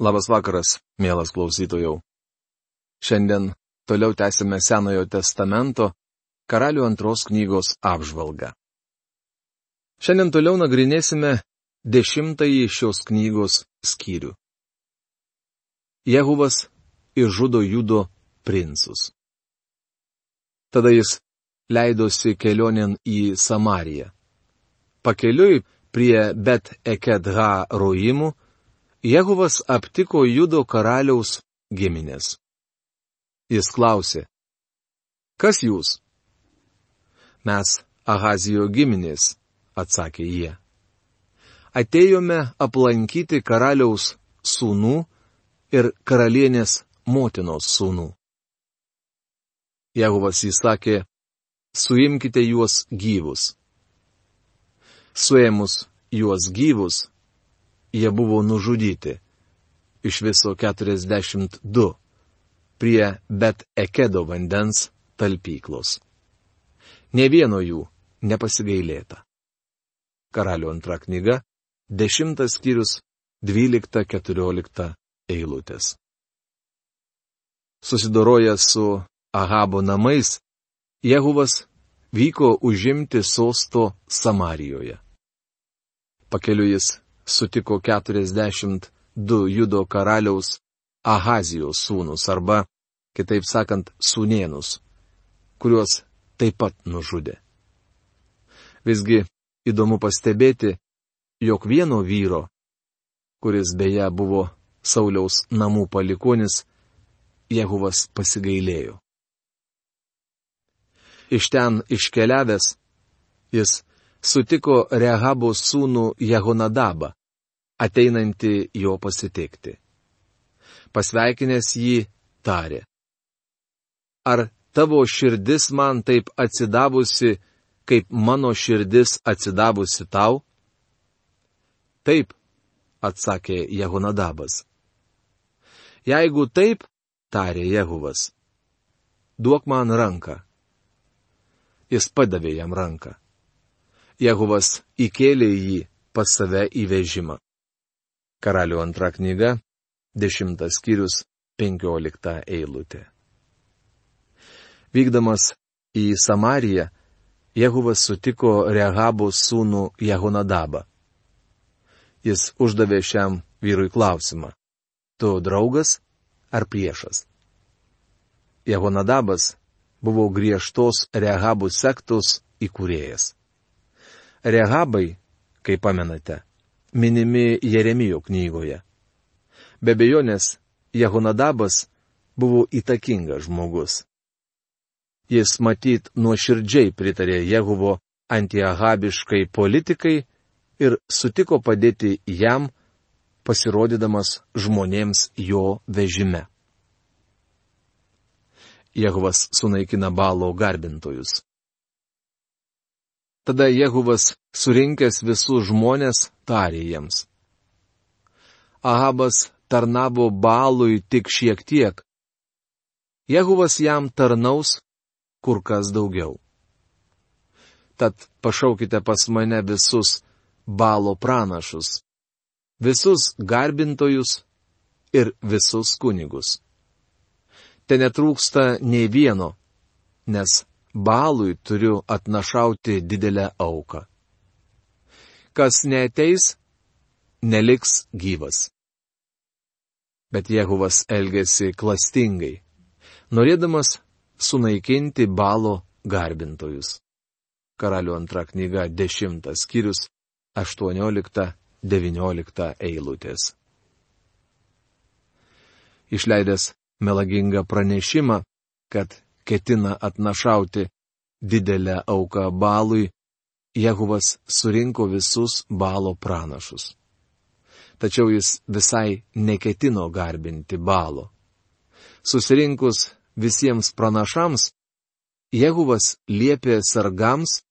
Labas vakaras, mielas klausytojau. Šiandien toliau tęsime Senojo testamento Karalių antros knygos apžvalgą. Šiandien toliau nagrinėsime 10 šios knygos skyrių. Jehuvas išžudo Judo princus. Tada jis leidosi kelionėn į Samariją. Pakeliui prie Bet Ekedha Roimų Jehuvas aptiko Judo karaliaus giminės. Jis klausė, kas jūs? Mes Ahazijo giminės, atsakė jie. Atėjome aplankyti karaliaus sūnų ir karalienės motinos sūnų. Jehuvas įsakė, suimkite juos gyvus. Suėmus juos gyvus, jie buvo nužudyti, iš viso 42, prie Bet Ekedo vandens talpyklos. Nė vieno jų nepasigailėta. Karalių antra knyga, 10 skyrius, 12-14 eilutės. Susidorojęs su Ahabo namais, Jehuvas vyko užimti sosto Samarijoje. Pakeliui jis sutiko 42 Judo karaliaus Ahazijos sūnus arba, kitaip sakant, sūnėnus, kuriuos taip pat nužudė. Visgi įdomu pastebėti, jog vieno vyro, kuris beje buvo Sauliaus namų palikuonis, Jehuvas pasigailėjo. Iš ten iškeliavęs, jis sutiko Rehabo sūnų Jehonadabą, ateinantį jo pasitikti. Pasveikinęs jį, tarė, ar tavo širdis man taip atsidavusi, kaip mano širdis atsidavusi tau? Taip, atsakė Jehonadabas. Jeigu taip, tarė Jehuvas, duok man ranką. Jis padavė jam ranką. Jehuvas įkėlė jį pas save į vežimą. Karalių antra knyga, 10 skyrius, 15 eilutė. Vykdamas į Samariją, Jehuvas sutiko Rehabo sūnų Jehonadabą. Jis uždavė šiam vyrui klausimą, tu draugas ar priešas? Jehonadabas buvo griežtos Rehabų sektos įkūrėjas. Rehabai, kaip pamenate, minimi Jeremijo knygoje. Be abejonės, Jehonadabas buvo įtakingas žmogus. Jis matyt nuoširdžiai pritarė Jehuvo antiahabiškai politikai ir sutiko padėti jam, pasirodydamas žmonėms jo vežime. Jehuvas sunaikina Baalo garbintojus. Tada Jehuvas, surinkęs visus žmonės, tarė jiems. Ahabas tarnavo Baalui tik šiek tiek. Jehuvas jam tarnaus kur kas daugiau. Tad pašaukite pas mane visus Baalo pranašus, visus garbintojus ir visus kunigus. Te netrūksta nei vieno, nes Baalui turiu atnašauti didelę auką. Kas neateis, neliks gyvas. Bet Jehuvas elgėsi klastingai, norėdamas sunaikinti Baalo garbintojus. Karalių antra knyga, 10 skyrius, 18-19 eilutės. Išleidęs melagingą pranešimą, kad ketina atnašauti didelę auką Baalui, Jehuvas surinko visus Baalo pranašus. Tačiau jis visai neketino garbinti Baalo. Susirinkus visiems pranašams, Jehuvas liepė sargams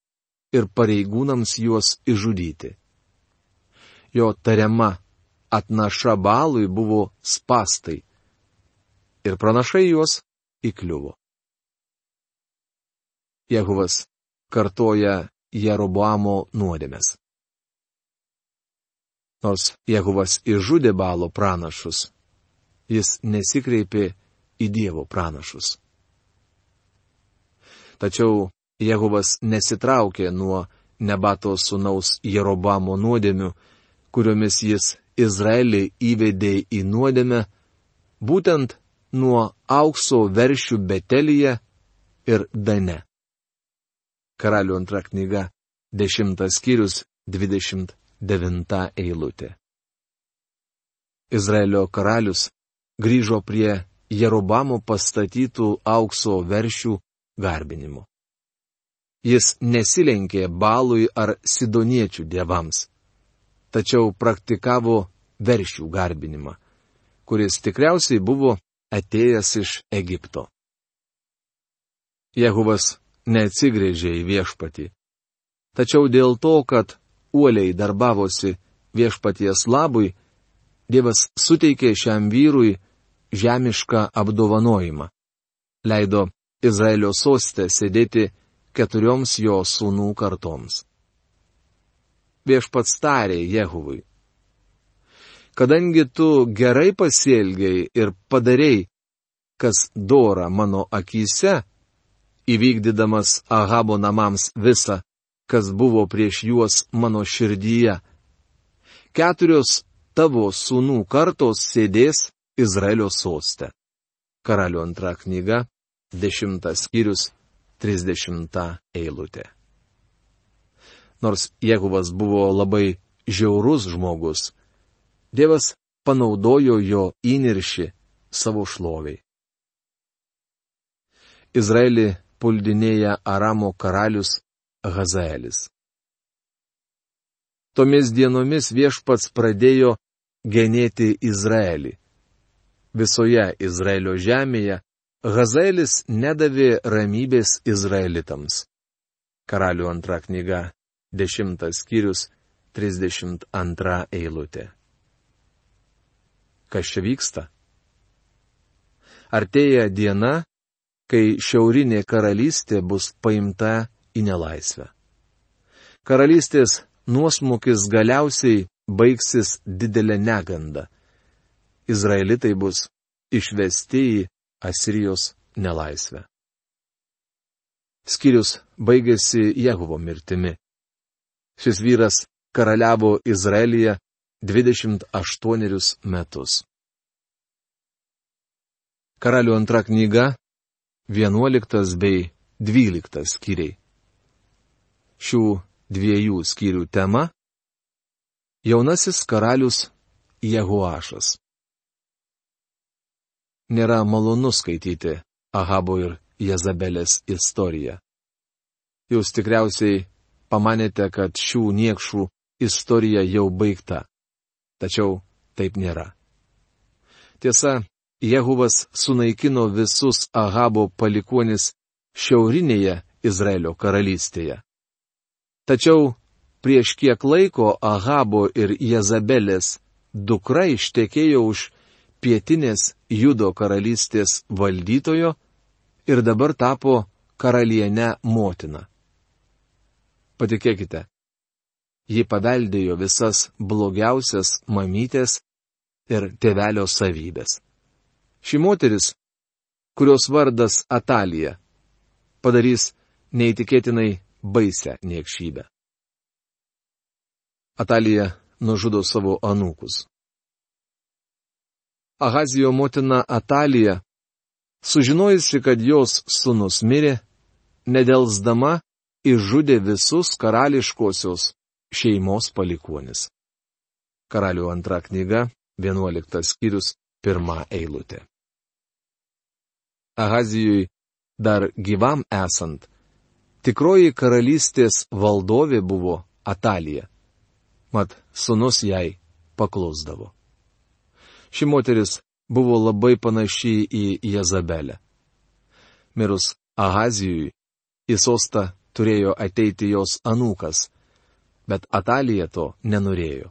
ir pareigūnams juos išžudyti. Jo tariama atnaša Baalui buvo spąstai, ir pranašai juos įkliuvo. Jehuvas kartoja Jeroboamo nuodėmes. Nors Jehuvas išžudė Baalo pranašus, jis nesikreipė į Dievo pranašus. Tačiau Jehuvas nesitraukė nuo Nebato sūnaus Jerobamo nuodėmių, kuriomis jis Izraelį įvedė į nuodėmę, būtent nuo aukso veršių Betelyje ir Dane. Karalių antra knyga, 10 skyrius, 29 eilutė. Izraelio karalius grįžo prie Jerobamo pastatytų aukso veršių garbinimo. Jis nesilenkė Balui ar sidoniečių dievams, tačiau praktikavo veršių garbinimą, kuris tikriausiai buvo atėjęs iš Egipto. Jehuvas neatsigręžė į viešpatį, tačiau dėl to, kad uoliai darbavosi viešpaties labui, Dievas suteikė šiam vyrui žemišką apdovanojimą. Leido Izraelio soste sėdėti 4 jo sūnų kartoms. Viešpats tarė Jehuvui: kadangi tu gerai pasielgei ir padarei, kas dora mano akyse, įvykdydamas Ahabo namams visa, kas buvo prieš juos mano širdyje, 4 tavo sūnų kartos sėdės Izraelio soste. Karalių antra knyga, 10 skyrius, 30 eilutė. Nors Jehuvas buvo labai žiaurus žmogus, Dievas panaudojo jo įniršį savo šloviai. Izraelį puldinėja Aramo karalius Hazaelis. Tomis dienomis viešpats pradėjo genėti Izraelį. Visoje Izraelio žemėje Hazaelis nedavė ramybės izraelitams. Karalių antra knyga, 10 skyrius, 32 eilutė. Kas čia vyksta? Artėja diena, kai šiaurinė karalystė bus paimta į nelaisvę. Karalystės nuosmukis galiausiai baigsis didelė neganda. Izraelitai bus išvesti į Asirijos nelaisvę. Skyrius baigėsi Jehuvo mirtimi. Šis vyras karaliavo Izraelyje 28 metus. Karalių antra knyga, 11 bei 12 skyriai. Šių 2 skyrių tema - jaunasis karalius Jehoašas. Nėra malonu skaityti Ahabo ir Jezabelės istoriją. Jūs tikriausiai pamanėte, kad šių niekšų istorija jau baigta. Tačiau taip nėra. Tiesa, Jehuvas sunaikino visus Ahabo palikuonis šiaurinėje Izraelio karalystėje. Tačiau prieš kiek laiko Ahabo ir Jezabelės dukra ištekėjo už pietinės Judo karalystės valdytojo ir dabar tapo karaliene motina. Patikėkite, ji paveldėjo visas blogiausias mamytės ir tėvelio savybės. Ši moteris, kurios vardas Atalija, padarys neįtikėtinai baisią niekšybę. Atalija nužudo savo anūkus. Ahazijo motina Atalija, sužinojusi, kad jos sūnus mirė, nedelsdama išžudė visus karališkosios šeimos palikuonis. Karalių antra knyga, 11 skyrius, 1 eilutė. Ahazijui dar gyvam esant, tikroji karalystės valdovė buvo Atalija, mat sūnus jai paklusdavo. Ši moteris buvo labai panaši į Jezabelę. Mirus Ahazijui, į sostą turėjo ateiti jos anūkas, bet Atalija to nenorėjo.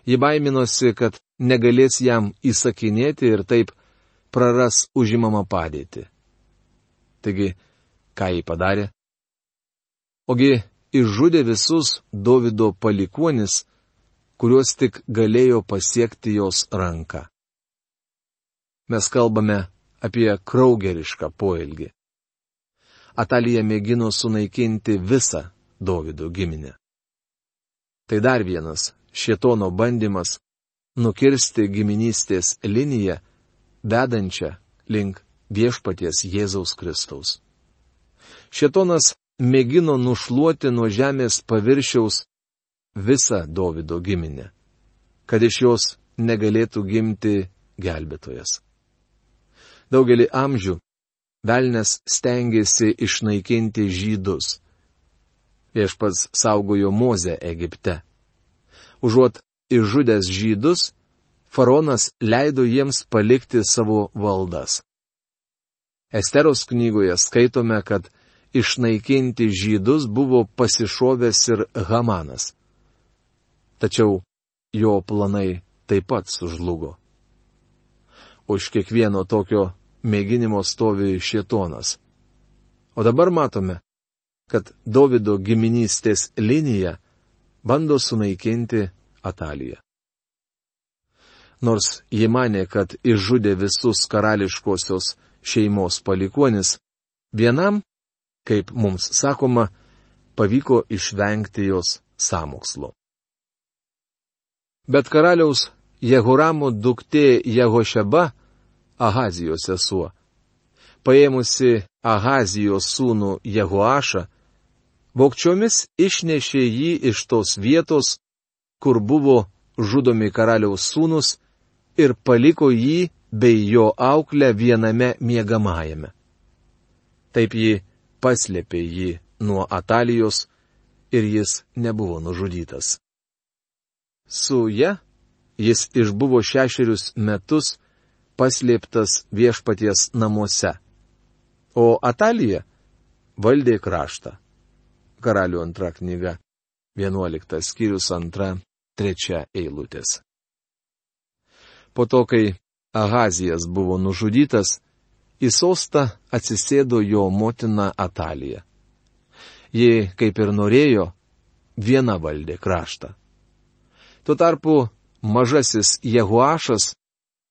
Ji baiminosi, kad negalės jam įsakinėti ir taip praras užimamą padėtį. Taigi, ką ji padarė? Ogi išžudė visus Dovido palikuonis, kuriuos tik galėjo pasiekti jos ranka. Mes kalbame apie kraugerišką poelgį. Atalija mėgino sunaikinti visą Dovydo giminę. Tai dar vienas šėtono bandymas nukirsti giminystės liniją, vedančią link viešpaties Jėzaus Kristaus. Šėtonas mėgino nušluoti nuo žemės paviršiaus visą Dovydo giminę, kad iš jos negalėtų gimti gelbėtojas. Daugelį amžių velnias stengėsi išnaikinti žydus. Viešpats saugojo Mozę Egipte. Užuot išžudęs žydus, faraonas leido jiems palikti savo valdas. Esteros knygoje skaitome, kad išnaikinti žydus buvo pasišovęs ir Hamanas. Tačiau jo planai taip pat sužlugo. Už kiekvieno tokio mėginimo stovi šėtonas. O dabar matome, kad Dovydo giminystės linija bando sunaikinti Ataliją. Nors ji manė, kad išžudė visus karališkosios šeimos palikuonis, vienam, kaip mums sakoma, pavyko išvengti jos sąmokslo. Bet karaliaus Jehoramo duktė Jehošeba, Ahazijos sesuo, paėmusi Ahazijos sūnų Jehoašą, vogčiomis išnešė jį iš tos vietos, kur buvo žudomi karaliaus sūnus, ir paliko jį bei jo auklę viename miegamajame. Taip ji paslėpė jį nuo Atalijos ir jis nebuvo nužudytas. Su ja jis išbuvo 6 metus paslėptas viešpaties namuose, o Atalija valdė kraštą. Karalių 2 knyga, 11 skyrius 2-3 eilutės. Po to, kai Ahazijas buvo nužudytas, į sostą atsisėdo jo motina Atalija. Ji, kaip ir norėjo, viena valdė kraštą. Tuo tarpu mažasis Jehoašas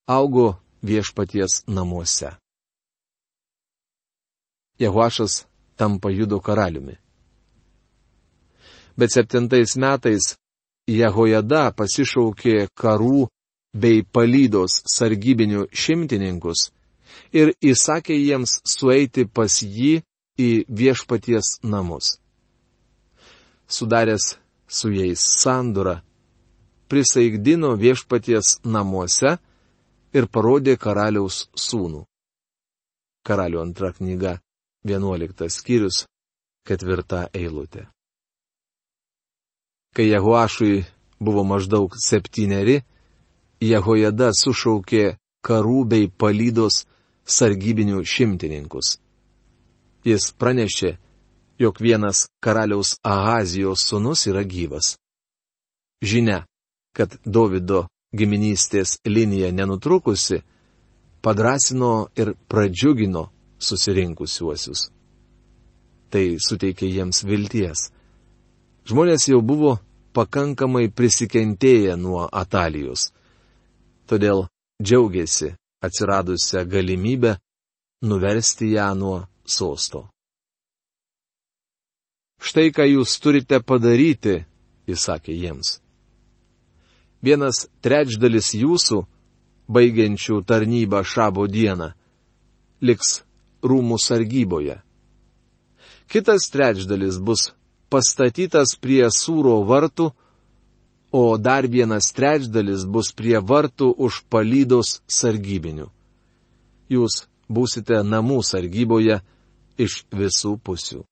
augo viešpaties namuose. Jehoašas tampa Judo karaliumi. Bet 7 metais Jehojada pasišaukė karų bei palydos sargybinių šimtininkus ir įsakė jiems sueiti pas jį į viešpaties namus. Sudaręs su jais sandorą, prisaikdino viešpaties namuose ir parodė karaliaus sūnų. Karalių 2 knyga, 11 skyrius, 4 eilutė. Kai Jehoašui buvo maždaug 7, Jehojada sušaukė karų bei palydos sargybinių šimtininkus. Jis pranešė, jog vienas karaliaus Ahazijos sūnus yra gyvas. Žinia, kad Dovydo giminystės linija nenutrukusi, padrąsino ir pradžiugino susirinkusiuosius. Tai suteikė jiems vilties. Žmonės jau buvo pakankamai prisikentėję nuo Atalijos. Todėl džiaugiasi atsiradusią galimybę nuversti ją nuo sosto. Štai ką jūs turite padaryti, įsakė jiems. 1/3 jūsų, baigiančių tarnybą šabo dieną, liks rūmų sargyboje. Kitas 1/3 bus pastatytas prie Sūro vartų, o dar 1/3 bus prie vartų už palydos sargybinių. Jūs būsite namų sargyboje iš visų pusių.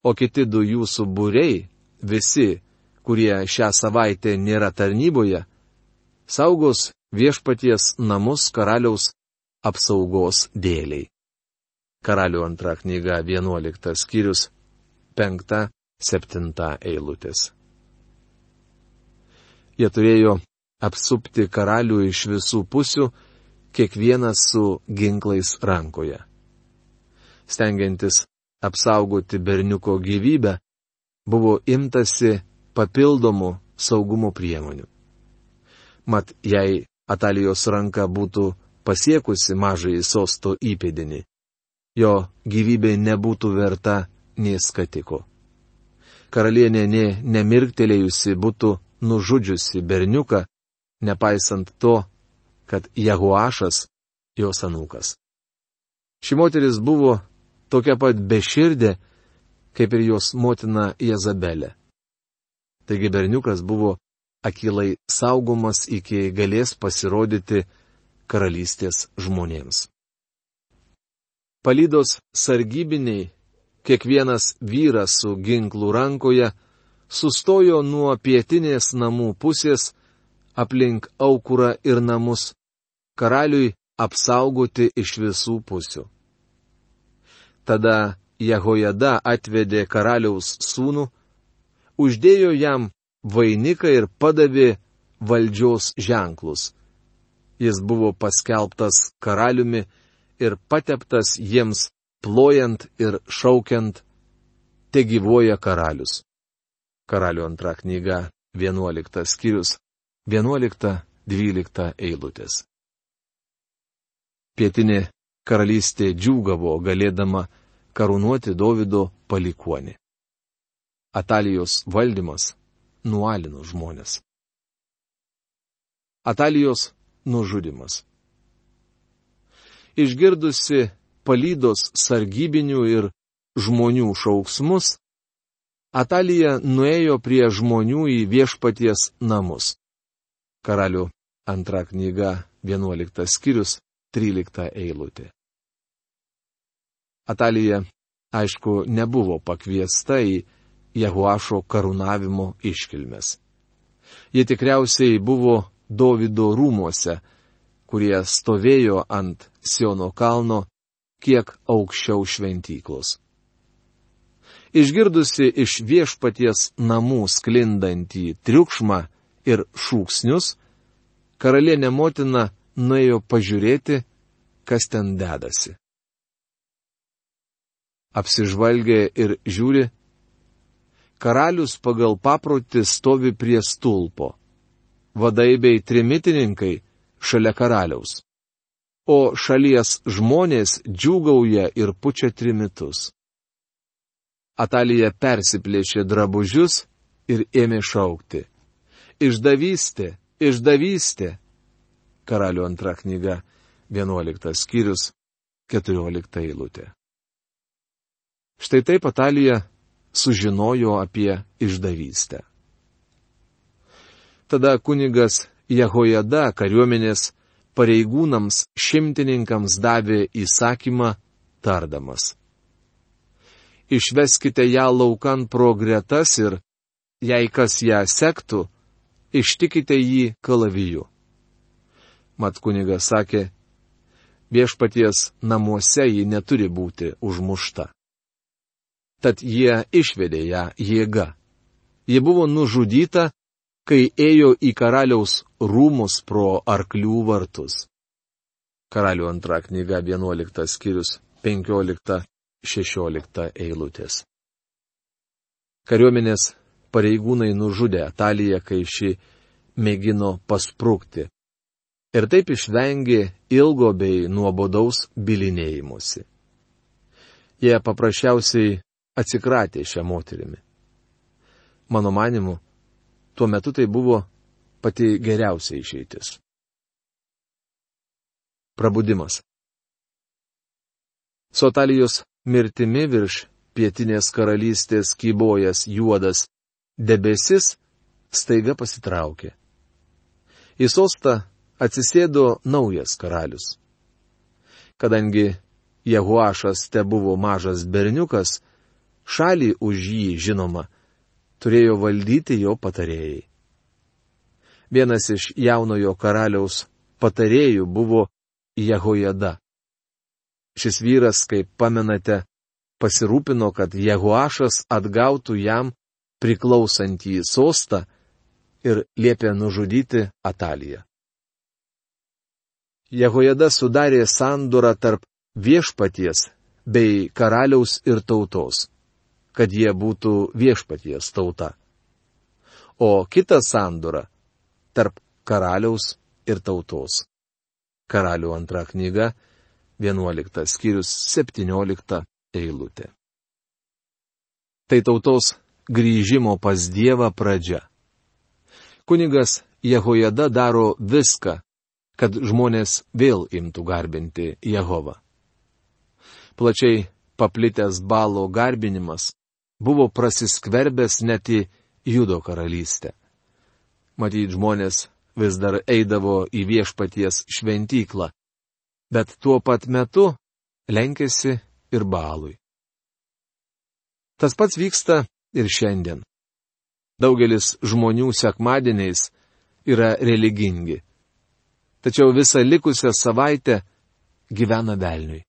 O kiti 2 jūsų būriai, visi, kurie šią savaitę nėra tarnyboje, saugos viešpaties namus karaliaus apsaugos dėliai. Karalių 2 knyga, 11 skyrius, 5-7 eilutės. Jie turėjo apsupti karalių iš visų pusių, kiekvienas su ginklais rankoje. Stengiantis apsaugoti berniuko gyvybę, buvo imtasi papildomų saugumo priemonių. Mat, jei Atalijos ranka būtų pasiekusi mažąjį sosto įpėdinį, jo gyvybė nebūtų verta nė skatiko. Karalienė nė nemirktelėjusi būtų nužudžiusi berniuką, nepaisant to, kad Jehoašas jos anūkas. Ši moteris buvo tokia pat beširdė, kaip ir jos motina Jezabelė. Taigi berniukas buvo akylai saugomas iki galės pasirodyti karalystės žmonėms. Palydos sargybiniai, kiekvienas vyras su ginklu rankoje, sustojo nuo pietinės namų pusės aplink aukurą ir namus, karaliui apsaugoti iš visų pusių. Tada Jehojada atvedė karaliaus sūnų, uždėjo jam vainiką ir padavė valdžios ženklus. Jis buvo paskelbtas karaliumi ir pateptas jiems plojant ir šaukiant, te gyvuoja karalius. Karalių antra knyga, 11 skyrius, 11-12 eilutės. Pietinė karalystė džiūgavo galėdama karūnuoti Dovydo palikuonį. Atalijos valdymas nualino žmonės. Atalijos nužudimas. Išgirdusi palydos sargybinių ir žmonių šauksmus, Atalija nuėjo prie žmonių į viešpaties namus. Karalių antra knyga, 11 skyrius, 13 eilutė. Atalija, aišku, nebuvo pakviesta į Jehoašo karūnavimo iškilmes. Ji tikriausiai buvo Dovydo rūmuose, kurie stovėjo ant Siono kalno kiek aukščiau šventyklos. Išgirdusi iš viešpaties namų sklindantį triukšmą ir šūksnius, karalienė motina nuėjo pažiūrėti, kas ten dedasi. Apsižvalgė ir žiūri, karalius pagal paprotį stovi prie stulpo, vadai bei trimitininkai šalia karaliaus, o šalies žmonės džiūgauja ir pučia trimitus. Atalija persiplėšė drabužius ir ėmė šaukti: Išdavystė, išdavystė! Karalių antra knyga, 11 skyrius, 14 eilutė. Štai taip Atalija sužinojo apie išdavystę. Tada kunigas Jehojada kariuomenės pareigūnams šimtininkams davė įsakymą tardamas: Išveskite ją laukan pro gretas ir, jei kas ją sektų, ištikite jį kalaviju. Mat kunigas sakė, viešpaties namuose ji neturi būti užmušta. Tad jie išvedė ją jėga. Ji buvo nužudyta, kai ėjo į karaliaus rūmus pro arklių vartus. Karalių antra knyga, 11 skyrius, 15-16 eilutės. Kariuomenės pareigūnai nužudė Ataliją, kai ši mėgino pasprukti, ir taip išvengė ilgo bei nuobodaus bylinėjimusi. Jie paprasčiausiai atsikratė šią moterimi. Mano manimu, tuo metu tai buvo pati geriausia išeitis. Prabudimas. Su Atalijos mirtimi virš pietinės karalystės kybojęs juodas debesis staiga pasitraukė. Į sostą atsisėdo naujas karalius. Kadangi Jehoašas tebuvo mažas berniukas, šalį už jį, žinoma, turėjo valdyti jo patarėjai. Vienas iš jaunojo karaliaus patarėjų buvo Jehojada. Šis vyras, kaip pamenate, pasirūpino, kad Jehoašas atgautų jam priklausantį sostą ir liepė nužudyti Ataliją. Jehojada sudarė sandorą tarp viešpaties bei karaliaus ir tautos, kad jie būtų viešpaties tauta, o kitą sandorą tarp karaliaus ir tautos, Karalių antra knyga, 11 skyrius, 17 eilutė. Tai tautos grįžimo pas Dievą pradžia. Kunigas Jehojada daro viską, kad žmonės vėl imtų garbinti Jehovą. Plačiai paplitęs Balo garbinimas buvo prasiskverbęs net į Judo karalystę. Matyt, žmonės vis dar eidavo į viešpaties šventyklą, bet tuo pat metu lenkėsi ir Balui. Tas pats vyksta ir šiandien. Daugelis žmonių sekmadieniais yra religingi, tačiau visą likusią savaitę gyvena velniui.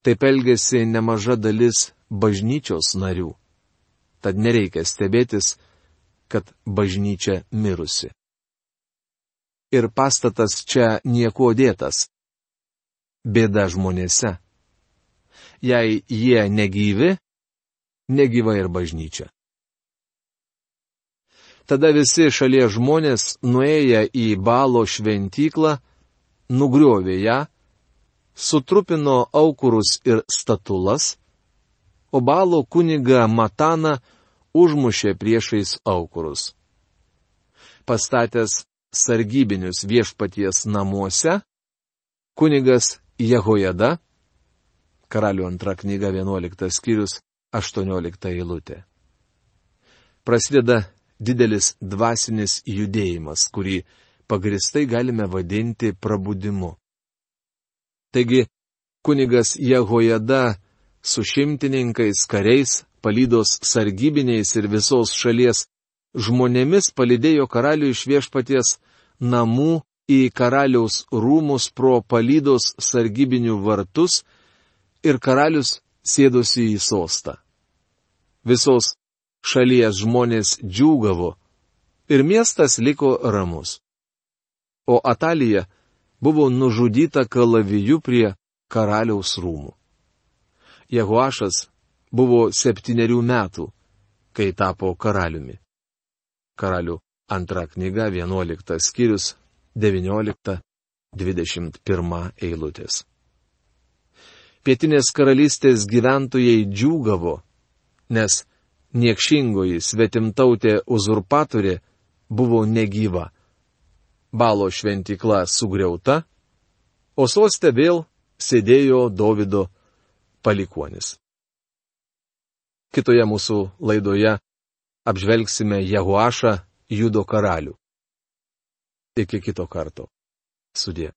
Taip elgėsi nemaža dalis bažnyčios narių, tad nereikia stebėtis, kad bažnyčia mirusi. Ir pastatas čia nieko dėtas. Bėda žmonėse. Jei jie negyvi, negyva ir bažnyčia. Tada visi šalies žmonės, nuėję į Balo šventyklą, nugriovė ją, sutrupino aukurus ir statulas, o Balo kunigą Mataną užmušė priešais aukurus. Pastatęs sargybinius viešpaties namuose, kunigas Jehojada, Karalių antra knyga 11 skyrius 18 eilutė. Prasideda didelis dvasinis judėjimas, kurį pagristai galime vadinti prabudimu. Taigi, kunigas Jehojada su šimtininkais, kariais, palydos sargybiniais ir visos šalies žmonėmis palydėjo karalių iš viešpaties namų į karaliaus rūmus pro palydos sargybinių vartus ir karalius sėdosi į sostą. Visos šalies žmonės džiūgavo ir miestas liko ramus. O Atalija buvo nužudyta kalaviju prie karaliaus rūmų. Jehoašas buvo 7 metų, kai tapo karaliumi. Karalių antra knyga 11 skyrius 19-21 eilutės. Pietinės karalystės gyventojai džiūgavo, nes niekšingoji svetimtautė uzurpatorė buvo negyva. Balo šventykla sugriauta, o soste vėl sėdėjo Dovydo palikuonis. Kitoje mūsų laidoje apžvelgsime Jehoašą, Judo karalių. Iki kito karto. Sudie.